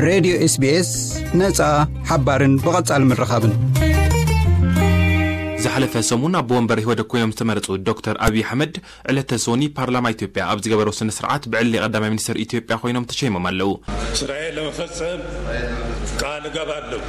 ሬድዮ ኤስቢኤስ፣ ነጻ፣ ሓባርን ብቐጻሊ ምርኻብን። ዝሓለፈ ሰሙን ኣቦ ወንበር ኢህወደግ ኮይኖም ዝተመረጹ ዶክተር ኣብይ ኣሕመድ፣ ዕለተ ሶኒ ፓርላማ ኢትዮጵያ ኣብ ዝገበሮ ስነ ስርዓት ብዕሊ ቀዳማይ ሚኒስትር ኢትዮጵያ ኮይኖም ተሸይሞም ኣለዉ። ስራዬን ለመፈጸም ቃል እገባለሁ።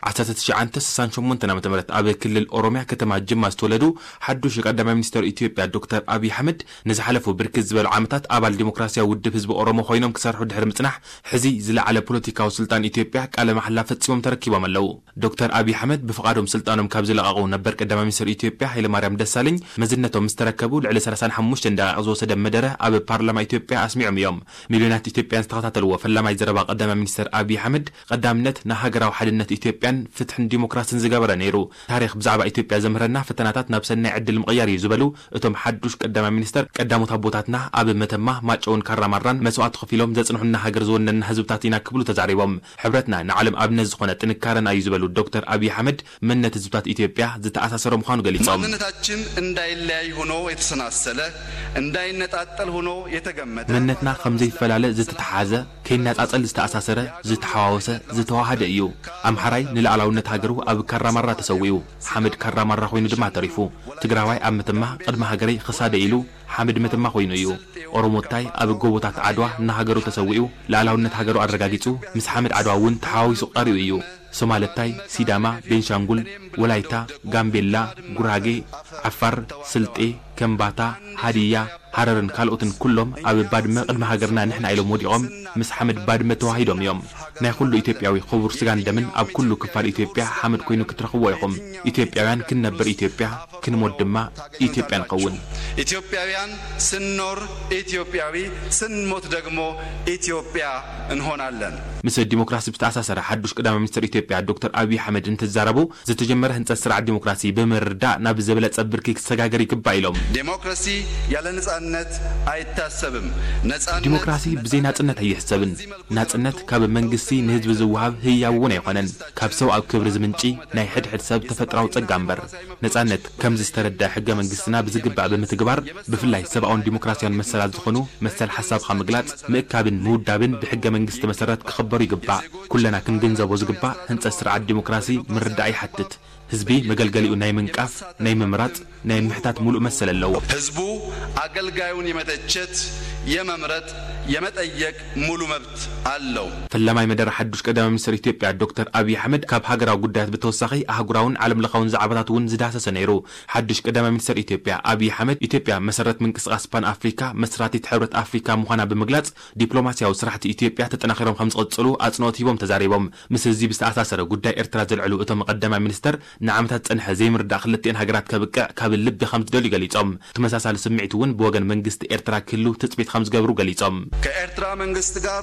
ዓሰርተ ትሽዓተ ስሳን ሸሞንተን ዓመተ ምህረት ኣብ ክልል ኦሮምያ ከተማ ጅማ ዝተወለዱ ሓዱሽ ቀዳማይ ሚኒስተር ኢትዮጵያ ዶክተር ኣብይ ኣሕመድ፣ ንዝሓለፉ ብርክት ዝበሉ ዓመታት ኣባል ዲሞክራሲያዊ ውድብ ህዝቢ ኦሮሞ ኮይኖም ክሰርሑ ድሕሪ ምጽናሕ፣ ሕዚ ዝለዓለ ፖለቲካዊ ስልጣን ኢትዮጵያ ቃለ መሓላ ፈጺሞም ተረኪቦም ኣለዉ። ዶክተር ኣብይ ኣሕመድ ብፍቓዶም ስልጣኖም ካብ ዝለቐቑ፣ ነበር ቀዳማይ ሚኒስተር ኢትዮጵያ ሃይለማርያም ደሳለኝ መዝነቶም ምስ ተረከቡ ልዕሊ ሰላሳን ሓሙሽተን ደቓይቕ ዝወሰደ መደረ ኣብ ፓርላማ ኢትዮጵያ ኣስሚዖም እዮም። ሚልዮናት ኢትዮጵያን ዝተኸታተልዎ ፈላማይ ዘረባ ቀዳማይ ሚኒስተር ኣብይ ኣሕመድ፣ ቀዳምነት ንሃገራዊ ሓድነት ኢትዮጵያን ፍትሕን ዲሞክራስን ዝገበረ ነይሩ። ታሪኽ ብዛዕባ ኢትዮጵያ ዘምህረና፣ ፈተናታት ናብ ሰናይ ዕድል ምቕያር እዩ ዝበሉ እቶም ሓዱሽ ቀዳማይ ሚኒስተር፣ ቀዳሞት ኣቦታትና ኣብ መተማ፣ ማጨውን ካራማራን መስዋእቲ ከፊሎም ዘጽንሑና ሃገር ዝወነንና ህዝብታት ኢና ክብሉ ተዛሪቦም። ሕብረትና ንዓለም ኣብነት ዝኾነ ጥንካረና እዩ ዝበሉ ዶክተር ኣብይ ኣሕመድ፣ መንነት ህዝብታት ኢትዮጵያ ዝተኣሳሰረ ምዃኑ ገሊጾም። ማንነታችን እንዳይለያይ ሆኖ የተሰናሰለ፣ እንዳይነጣጠል ሆኖ የተገመደ፣ መንነትና ከም ዘይፈላለ ዝተተሓሓዘ፣ ከይነጻጸል ዝተኣሳሰረ፣ ዝተሓዋወሰ፣ ዝተዋሃደ እዩ። ኣምሓራይ ንልኣላውነት ሃገሩ ኣብ ካራማራ ተሰዊኡ፣ ሓመድ ካራማራ ኮይኑ ድማ ተሪፉ። ትግራዋይ ኣብ መተማ ቅድሚ ሃገረይ ክሳደ ኢሉ ሓመድ መተማ ኮይኑ እዩ። ኦሮሞታይ ኣብ ጎቦታት ዓድዋ ንሃገሩ ተሰዊኡ፣ ልኣላውነት ሃገሩ ኣረጋጊጹ፣ ምስ ሓመድ ዓድዋ እውን ተሓዋዊሱ ቀሪኡ እዩ። ሶማለታይ፣ ሲዳማ፣ ቤንሻንጉል፣ ወላይታ፣ ጋምቤላ፣ ጉራጌ፣ ዓፋር፣ ስልጤ፣ ከምባታ፣ ሃዲያ፣ ሃረርን ካልኦትን ኩሎም ኣብ ባድመ ቅድሚ ሃገርና ንሕና ኢሎም ወዲቖም ምስ ሓመድ ባድመ ተዋሂዶም እዮም። ናይ ኩሉ ኢትዮጵያዊ ክቡር ስጋን ደምን ኣብ ኩሉ ክፋል ኢትዮጵያ ሓመድ ኮይኑ ክትረኽብዎ ኢኹም። ኢትዮጵያውያን ክንነብር ኢትዮጵያ፣ ክንሞት ድማ ኢትዮጵያ ንኸውን። ኢትዮጵያውያን ስንኖር ኢትዮጵያዊ፣ ስንሞት ደግሞ ኢትዮጵያ እንሆናለን። ምስ ዲሞክራሲ ብዝተኣሳሰረ ሓዱሽ ቀዳማይ ሚኒስትር ኢትዮጵያ ዶክተር ኣብይ ኣሕመድ እንትዛረቡ፣ ዝተጀመረ ህንጸት ስርዓት ዲሞክራሲ ብምርዳእ ናብ ዝበለጸ ብርኪ ክሰጋገር ይግባእ ኢሎም። ዴሞክራሲ ያለ ነጻነት አይታሰብም። ነጻነት ዲሞክራሲ ብዘይ ናጽነት ኣይሕሰብን። ናጽነት ካብ መንግስቲ ንህዝቢ ዝወሃብ ህያብ እውን ኣይኮነን። ካብ ሰብኣዊ ክብሪ ዝምንጪ ናይ ሕድሕድ ሰብ ተፈጥራዊ ጸጋ እምበር። ነጻነት ከምዚ ዝተረድአ ሕገ መንግስትና ብዝግባእ ብምትግባር፣ ብፍላይ ሰብኣውን ዲሞክራሲያውን መሰላት ዝኾኑ መሰል ሓሳብኻ ምግላጽ፣ ምእካብን ምውዳብን ብሕገ መንግስቲ መሰረት ክኽበሩ ይግባእ። ኩለና ክንግንዘቦ ዝግባእ ህንጸት ስርዓት ዲሞክራሲ ምርዳእ ይሓትት። ህዝቢ መገልገሊኡ ናይ ምንቃፍ፣ ናይ ምምራጽ፣ ናይ ምሕታት ሙሉእ መሰል ኣለዎ። ህዝቡ ኣገልጋዩን የመተቸት፣ የመምረጥ፣ የመጠየቅ ሙሉ መብት ኣለው። ፈላማይ መደረ ሓዱሽ ቀዳማይ ሚኒስትር ኢትዮጵያ ዶክተር ኣብይ ኣሕመድ ካብ ሃገራዊ ጉዳያት ብተወሳኺ ኣህጉራውን ዓለም ለኻውን ዛዕባታት እውን ዝዳሰሰ ነይሩ። ሓዱሽ ቀዳማይ ሚኒስትር ኢትዮጵያ ኣብይ ኣሕመድ፣ ኢትዮጵያ መሰረት ምንቅስቃስ ፓን ኣፍሪካ፣ መስራቲት ሕብረት ኣፍሪካ ምዃና ብምግላጽ፣ ዲፕሎማሲያዊ ስራሕቲ ኢትዮጵያ ተጠናኺሮም ከም ዝቕጽሉ ኣጽንኦት ሂቦም ተዛሪቦም። ምስ እዚ ብዝተኣሳሰረ ጉዳይ ኤርትራ ዘልዕሉ እቶም ቀዳማይ ሚኒስተር፣ ንዓመታት ዝጸንሐ ዘይምርዳእ ክልቲኤን ሃገራት ከብቅዕ ካብ ልቢ ከም ዝደልዩ ገሊጾም። ተመሳሳሊ ስምዒት እውን ብወገን መንግስቲ ኤርትራ ክህሉ ትጽቢት ከም ዝገብሩ ገሊጾም። ከኤርትራ መንግስት ጋር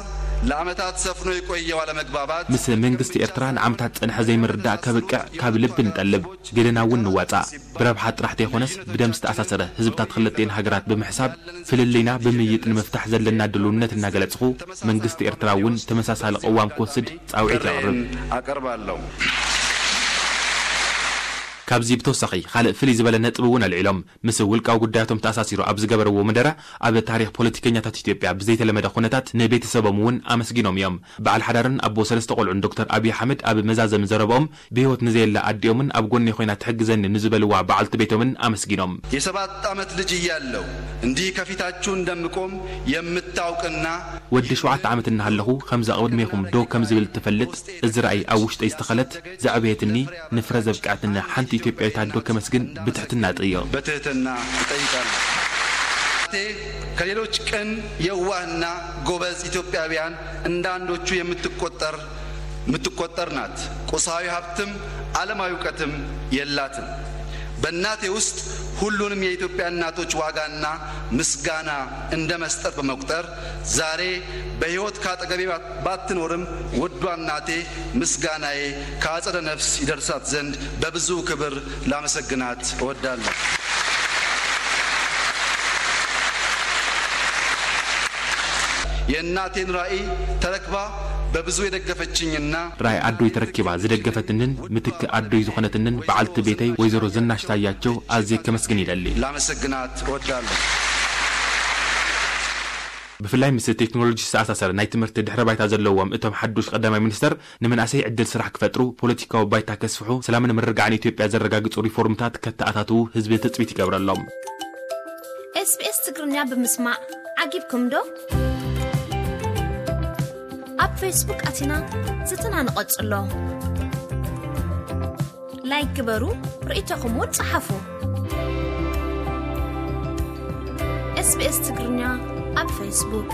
ለዓመታት ሰፍኖ የቆየው አለመግባባት ምስ መንግስቲ ኤርትራ ንዓመታት ዝጸንሐ ዘይምርዳእ ከብቅዕ ካብ ልቢ ንጠልብ። ገለና እውን ንዋጻእ። ብረብሓ ጥራሕ ዘይኮነስ ብደም ዝተኣሳሰረ ህዝብታት ክልቲኤን ሃገራት ብምሕሳብ፣ ፍልልይና ብምይይጥ ንምፍታሕ ዘለና ድልውነት እናገለጽኹ፣ መንግስቲ ኤርትራ እውን ተመሳሳሊ ቅዋም ክወስድ ጻውዒት የቕርብ። ኣቀርባለሁ። ካብዚ ብተወሳኺ ካልእ ፍልይ ዝበለ ነጥቢ እውን ኣልዒሎም። ምስ ውልቃዊ ጉዳያቶም ተኣሳሲሩ ኣብ ዝገበርዎ መደረ፣ ኣብ ታሪኽ ፖለቲከኛታት ኢትዮጵያ ብዘይተለመደ ኩነታት ንቤተሰቦም እውን ኣመስጊኖም እዮም። በዓል ሓዳርን ኣቦ ሰለስተ ቆልዑን ዶክተር ኣብይ ኣሕመድ ኣብ መዛዘሚ ዘረብኦም፣ ብህይወት ንዘየላ ኣዲኦምን ኣብ ጎነይ ኮይና ትሕግዘኒ ንዝበልዋ በዓልቲ ቤቶምን ኣመስጊኖም። የሰባት ዓመት ልጅ እያለሁ እንዲህ ከፊታችሁ እንደምቆም የምታውቅና ወዲ ሸውዓተ ዓመት እናሃለኹ ከምዛ ቅድሜኹም ደው ከም ዝብል ትፈልጥ፣ እዚ ራእይ ኣብ ውሽጠይ ዝተኸለት፣ ዘዕበየትኒ፣ ንፍረ ዘብቅዐትኒ ሓንቲ ኢትዮጵያዊት ኣዶ ከመስግን ብትሕትና እጠይቕ። በትህትና እጠይቃለሁ። ከሌሎች ቅን፣ የዋህና ጎበዝ ኢትዮጵያውያን እንዳንዶቹ የምትቆጠር የምትቆጠር ናት። ቁሳዊ ሀብትም ዓለማዊ እውቀትም የላትም። በእናቴ ውስጥ ሁሉንም የኢትዮጵያ እናቶች ዋጋና ምስጋና እንደ መስጠት በመቁጠር፣ ዛሬ በሕይወት ካጠገቤ ባትኖርም፣ ውዷ እናቴ ምስጋናዬ ከአጸደ ነፍስ ይደርሳት ዘንድ በብዙ ክብር ላመሰግናት እወዳለሁ። የእናቴን ራዕይ ተረክባ በብዙ የደገፈችኝና ራዕይ ኣዶይ ተረኪባ ዝደገፈትንን ምትክ ኣዶይ ዝኾነትንን በዓልቲ ቤተይ ወይዘሮ ዝናሽ ታያቸው ኣዝየ ከመስግን ይደሊ። ላመሰግናት እወዳለሁ። ብፍላይ ምስ ቴክኖሎጂ ዝተኣሳሰረ ናይ ትምህርቲ ድሕረ ባይታ ዘለዎም እቶም ሓዱሽ ቀዳማይ ሚኒስተር፣ ንመናእሰይ ዕድል ስራሕ ክፈጥሩ፣ ፖለቲካዊ ባይታ ከስፍሑ፣ ሰላምን ምርግጋዕን ኢትዮጵያ ዘረጋግጹ ሪፎርምታት ከተኣታትዉ ህዝቢ ትጽቢት ይገብረሎም። SBS ትግርኛ ብምስማዕ ዓጊብኩም ዶ? ኣብ ፌስቡክ ኣቲና ዝትና ንቐጽሎ። ላይክ ግበሩ፣ ርእይቶኹም እውን ጸሓፉ። SBS ትግርኛ ኣብ ፌስቡክ።